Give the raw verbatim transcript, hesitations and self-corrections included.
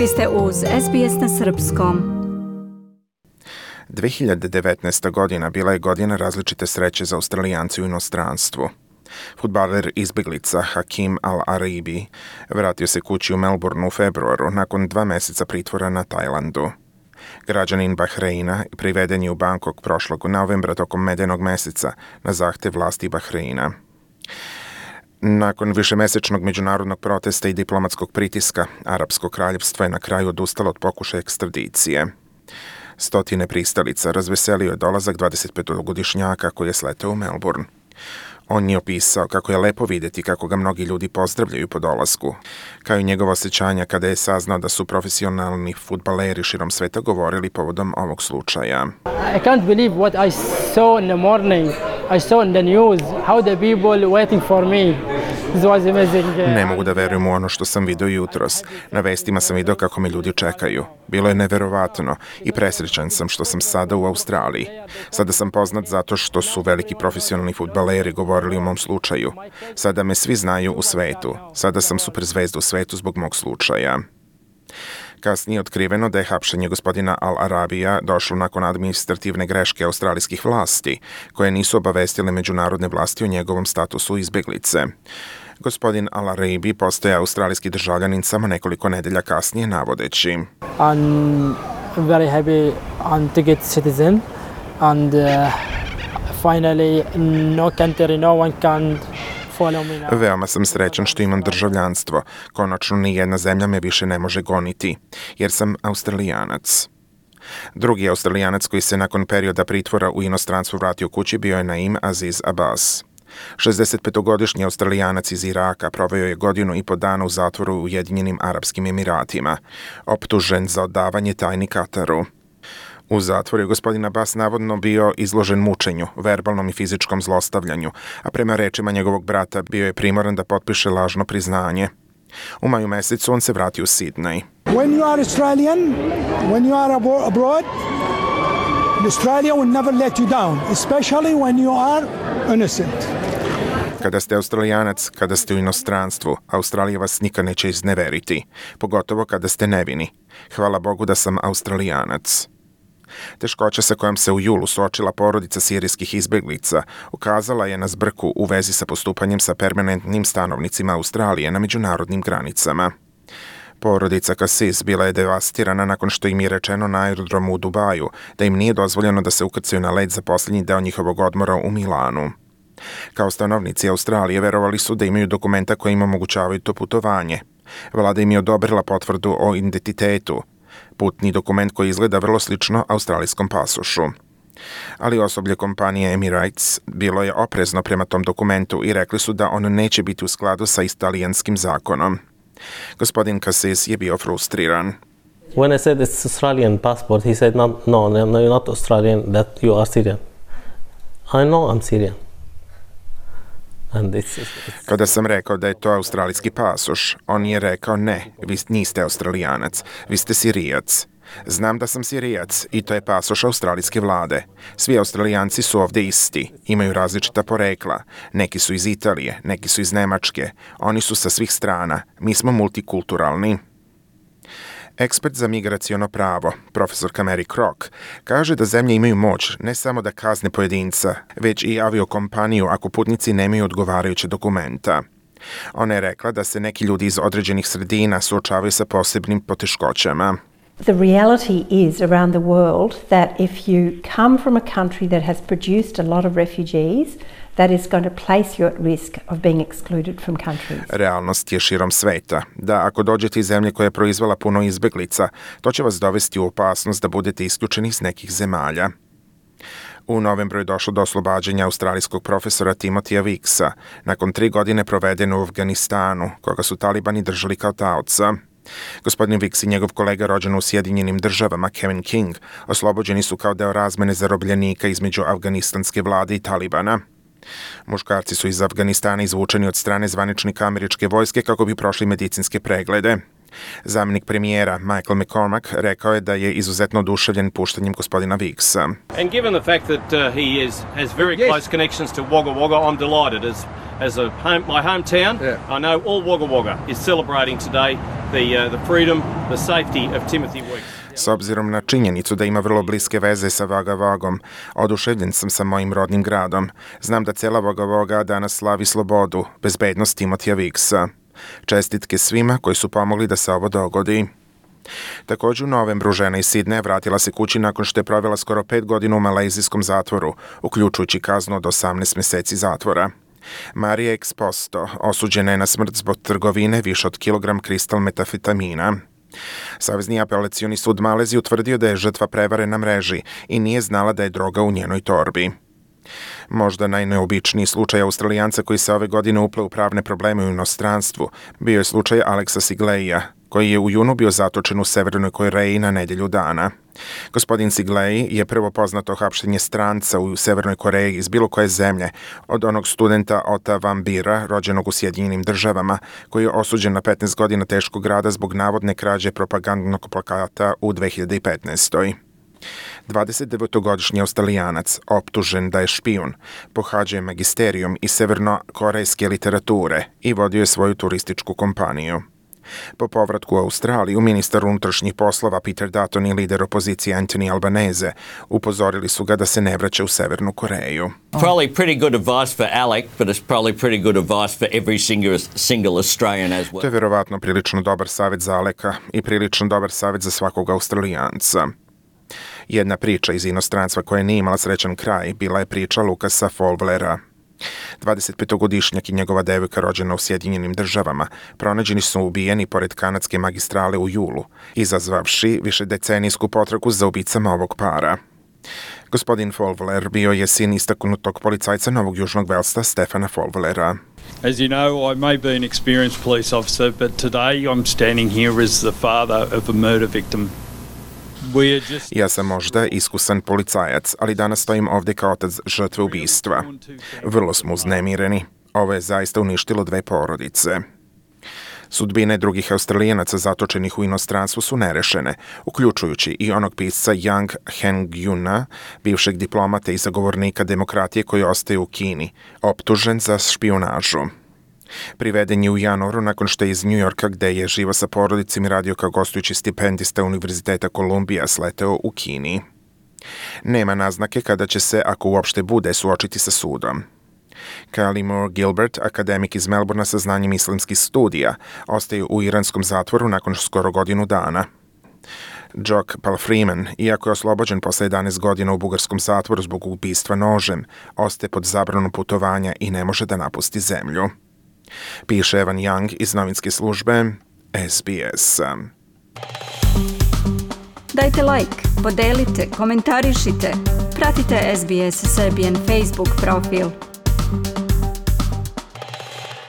Vi ste uz S B S na srpskom. dve hiljade devetnaesta. godina bila je godina različite sreće za Australijanci u inostranstvu. Fudbaler izbjeglica Hakim Al-Aribi vratio se kući u Melbourneu u februaru nakon dva meseca pritvora na Tajlandu. Građanin Bahreina priveden je u Bangkok prošlog novembra tokom medenog meseca na zahtev vlasti Bahreina. Nakon višemesečnog međunarodnog protesta i diplomatskog pritiska, Arapsko kraljevstvo je na kraju odustalo od pokušaja ekstradicije. Stotine pristalica razveselio je dolazak dvadesetpetogodišnjaka koji je sleteo u Melbourne. On je opisao kako je lepo vidjeti kako ga mnogi ljudi pozdravljaju po dolasku, kao i njegova osjećanja kada je saznao da su profesionalni fudbaleri širom sveta govorili povodom ovog slučaja. I can't believe what I saw in the morning. I saw in the news how the people waiting for me. This was amazing. Ne mogu da verujem u ono što sam vidio jutros. Na vestima sam vidio kako me ljudi čekaju. Bilo je neverovatno i presrećan sam što sam sada u Australiji. Sada sam poznat zato što su veliki profesionalni fudbaleri govorili o mom slučaju. Sada me svi znaju u svetu. Sada sam superzvezda u svetu zbog mog slučaja. Kasnije je otkriveno da je hapšenje gospodina Al-Arabija došlo nakon administrativne greške australijskih vlasti, koje nisu obavestile međunarodne vlasti o njegovom statusu izbjeglice. Gospodin Al-Arabi postaje australijski državljanin samo nekoliko nedelja kasnije, navodeći: I'm very happy to get citizen and uh, finally no country, no one can follow me now. Veoma sam srećan što imam državljanstvo. Konačno ni jedna zemlja me više ne može goniti, jer sam Australijanac. Drugi Australijanac koji se nakon perioda pritvora u inostranstvu vratio kući bio je Naim Aziz Abbas. šezdesetpetogodišnji Australijanac iz Iraka proveo je godinu i po dana u zatvoru u Ujedinjenim Arapskim Emiratima, optužen za odavanje tajni Kataru. U zatvoru je gospodin Abbas navodno bio izložen mučenju, verbalnom i fizičkom zlostavljanju, a prema rečima njegovog brata bio je primoran da potpiše lažno priznanje. U maju mesecu on se vratio u Sidney. When you are Australian, when you are abroad, Australia will never let you down, especially when you are innocent. Kada ste Australijanac, kada ste u inostranstvu, Australija vas nikad neće izneveriti, pogotovo kada ste nevini. Hvala Bogu da sam Australijanac. Teškoća sa kojom se u julu suočila porodica sirijskih izbjeglica ukazala je na zbrku u vezi sa postupanjem sa permanentnim stanovnicima Australije na međunarodnim granicama. Porodica Kasis bila je devastirana nakon što im je rečeno na aerodromu u Dubaju da im nije dozvoljeno da se ukrcaju na let za posljednji deo njihovog odmora u Milanu. Kao stanovnici Australije verovali su da imaju dokumenta koji im omogućavaju to putovanje. Vlada im je odobrila potvrdu o identitetu, putni dokument koji izgleda vrlo slično australijskom pasošu. Ali osoblje kompanije Emirates bilo je oprezno prema tom dokumentu i rekli su da on neće biti u skladu sa italijanskim zakonom. Gospodin Kasis je bio frustriran. When I said it's Australian passport, he said, no, no, no, you're not Australian, that you are Syrian. I know I'm Syrian. And it's, it's... Kada sam rekao da je to australijski pasoš, on je rekao ne, vi niste Australijanac, vi ste Sirijac. Znam da sam Sirijac i to je pasoš australijske vlade. Svi Australijanci su ovdje isti, imaju različita porekla. Neki su iz Italije, neki su iz Nemačke. Oni su sa svih strana. Mi smo multikulturalni. Ekspert za migraciono pravo, profesorka Mary Crock, kaže da zemlje imaju moć ne samo da kazne pojedinca, već i aviokompaniju ako putnici nemaju odgovarajuće dokumenta. Ona je rekla da se neki ljudi iz određenih sredina suočavaju sa posebnim poteškoćama. The reality is around the world that if you come from a country that has produced a lot of refugees, that is going to place you at risk of being excluded from countries. Realnost je širom sveta da ako dođete iz zemlje koja je proizvela puno izbjeglica, to će vas dovesti u opasnost da budete isključeni iz nekih zemalja. U novembru je došlo do oslobađanja australijskog profesora Timothya Wicksa nakon tri godine provedene u Afganistanu, koga su talibani držali kao taoca. Gospodin Wicks i njegov kolega rođen u Sjedinjenim državama, Kevin King, oslobođeni su kao deo razmene zarobljenika između afganistanske vlade i talibana. Muškarci su iz Afganistana izvučeni od strane zvaničnika američke vojske kako bi prošli medicinske preglede. Zamjenik premijera Michael McCormack rekao je da je izuzetno oduševljen puštanjem gospodina Wicksa. And given the fact that uh, he is, has very yes. close connections to Wagga Wagga, I'm delighted. As, as a home, my hometown, yeah. I know all Wagga Wagga is celebrating today the, uh, the freedom, the safety of Timothy Weeks. S obzirom na činjenicu da ima vrlo bliske veze sa Wagga Waggom, oduševljen sam sa mojim rodnim gradom. Znam da cijela Wagga Wagga danas slavi slobodu, bezbednost Timothya Wicksa. Čestitke svima koji su pomogli da se ovo dogodi. Također u novembru žena iz Sidneja vratila se kući nakon što je provela skoro pet godina u malezijskom zatvoru, uključujući kaznu od osamnaest mjeseci zatvora. Marija Exposto osuđena je na smrt zbog trgovine više od kilogram kristal metafetamina. Savezni apelacioni sud Malezije utvrdio da je žrtva prevare na mreži i nije znala da je droga u njenoj torbi. Možda najneobičniji slučaj Australijanca koji se ove godine upleo u pravne probleme u inostranstvu bio je slučaj Alexa Sigleija, koji je u junu bio zatočen u Severnoj Koreji na nedjelju dana. Gospodin Siglej je prvo poznato hapšenje stranca u Severnoj Koreji iz bilo koje zemlje od onog studenta Ota Van Bira, rođenog u Sjedinjenim državama, koji je osuđen na petnaest godina teškog rada zbog navodne krađe propagandnog plakata u dve hiljade petnaestoj. dvadesetdevetogodišnji Australijanac, optužen da je špijun, pohađao je magisterijum iz severnokorejske literature i vodio je svoju turističku kompaniju. Po povratku u Australiju, ministar unutrašnjih poslova Peter Dutton i lider opozicije Anthony Albanese upozorili su ga da se ne vraća u Severnu Koreju. Probably pretty good advice for Alec, but it's probably pretty good advice for every single, single Australian as well. To je vjerovatno prilično dobar savjet za Aleka i prilično dobar savjet za svakog Australijanca. Jedna priča iz inostranstva koja nije imala srećan kraj bila je priča Lukasa Fowlera. dvadesetpetogodišnjak i njegova devojka rođena u Sjedinjenim državama pronađeni su ubijeni pored kanadske magistrale u julu, izazvavši višedecenijsku potragu za ubicama ovog para. Gospodin Fowler bio je sin istaknutog policajca Novog Južnog Velsa Stefana Fowlera. As you know, I may be an experienced police officer, but today I'm standing here as the father of a murder victim. Ja sam možda iskusan policajac, ali danas stojim ovdje kao otac žrtve ubistva. Vrlo smo uznemireni. Ovo je zaista uništilo dve porodice. Sudbine drugih Australijanaca zatočenih u inostranstvu su nerešene, uključujući i onog pisca Yang Hengjuna, bivšeg diplomata i zagovornika demokratije koji ostaje u Kini, optužen za špijunažu. Priveden je u januaru nakon što je iz New Yorka, gde je živo sa porodicom i radio kao gostujući stipendista Univerziteta Kolumbija, sleteo u Kini. Nema naznake kada će se, ako uopšte bude, suočiti sa sudom. Kylie Moore Gilbert, akademik iz Melbourna sa znanjem islamskih studija, ostaje u iranskom zatvoru nakon skoro godinu dana. Jock Palfreeman, iako je oslobođen posle jedanaest godina u bugarskom zatvoru zbog ubistva nožem, ostaje pod zabranom putovanja i ne može da napusti zemlju. Piše Evan Young iz novinske službe S B S. Dajte like, podelite, komentarišite, pratite S B S Serbian Facebook profil.